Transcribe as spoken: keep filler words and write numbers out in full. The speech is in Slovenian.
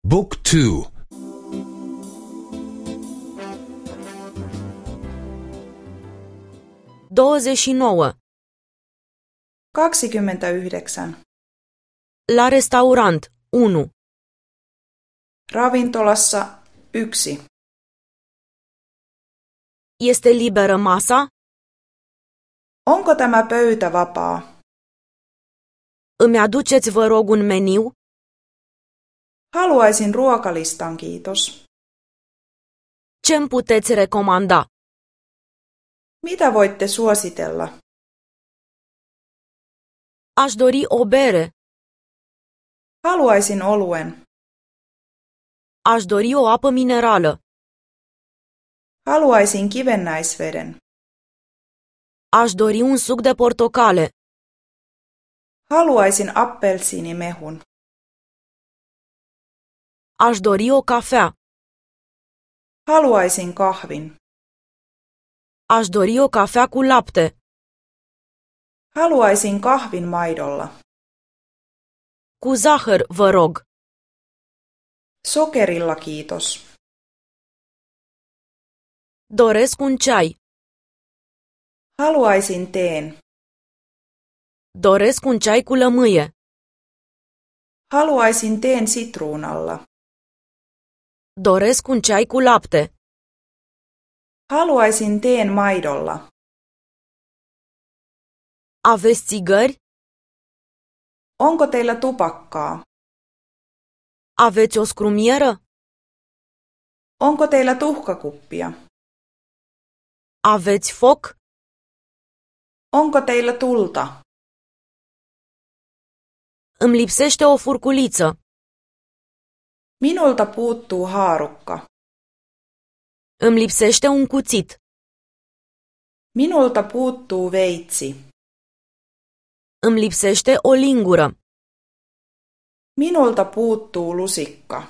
Book two. douăzeci și nouă. kaksikymmentäyhdeksän. La restaurant. unu. Ravintolassa yksi. Este liberă masa? Onko tämä pöytä vapaa? Îmi aduceți, vă rog, un meniu? Haluaisin ruokalistan, kiitos. Ce-mi puteți recomanda? Mitä voitte suositella? Aș dori o bere. Haluaisin oluen. Aș dori o apă minerală. Haluaisin kivennäisveden. Aș dori un suc de portocale. Haluaisin appelsiinimehun. Aș dori o cafea. Haluaisin kahvin. Aș dori o cafea cu lapte. Haluaisin kahvin maidolla. Cu zahăr, vă rog. Sokerilla, kiitos. Doresc un ceai. Haluaisin teen. Doresc un ceai cu lămâie. Haluaisin teen sitruunalla. Doresc un ceai cu lapte. Haluaisin teen maidolla. Aveți țigări? Onko teillä tupakkaa? Aveți o scrumieră? Onko teillä tuhkakuppia? Aveți foc? Onko teillä tulta? Îmi lipsește o furculiță. Minulta puuttuu haarukka. Îmi lipsește un cuțit. Minulta puuttuu veitsi. Îmi lipsește o lingură. Minulta puuttuu lusikka.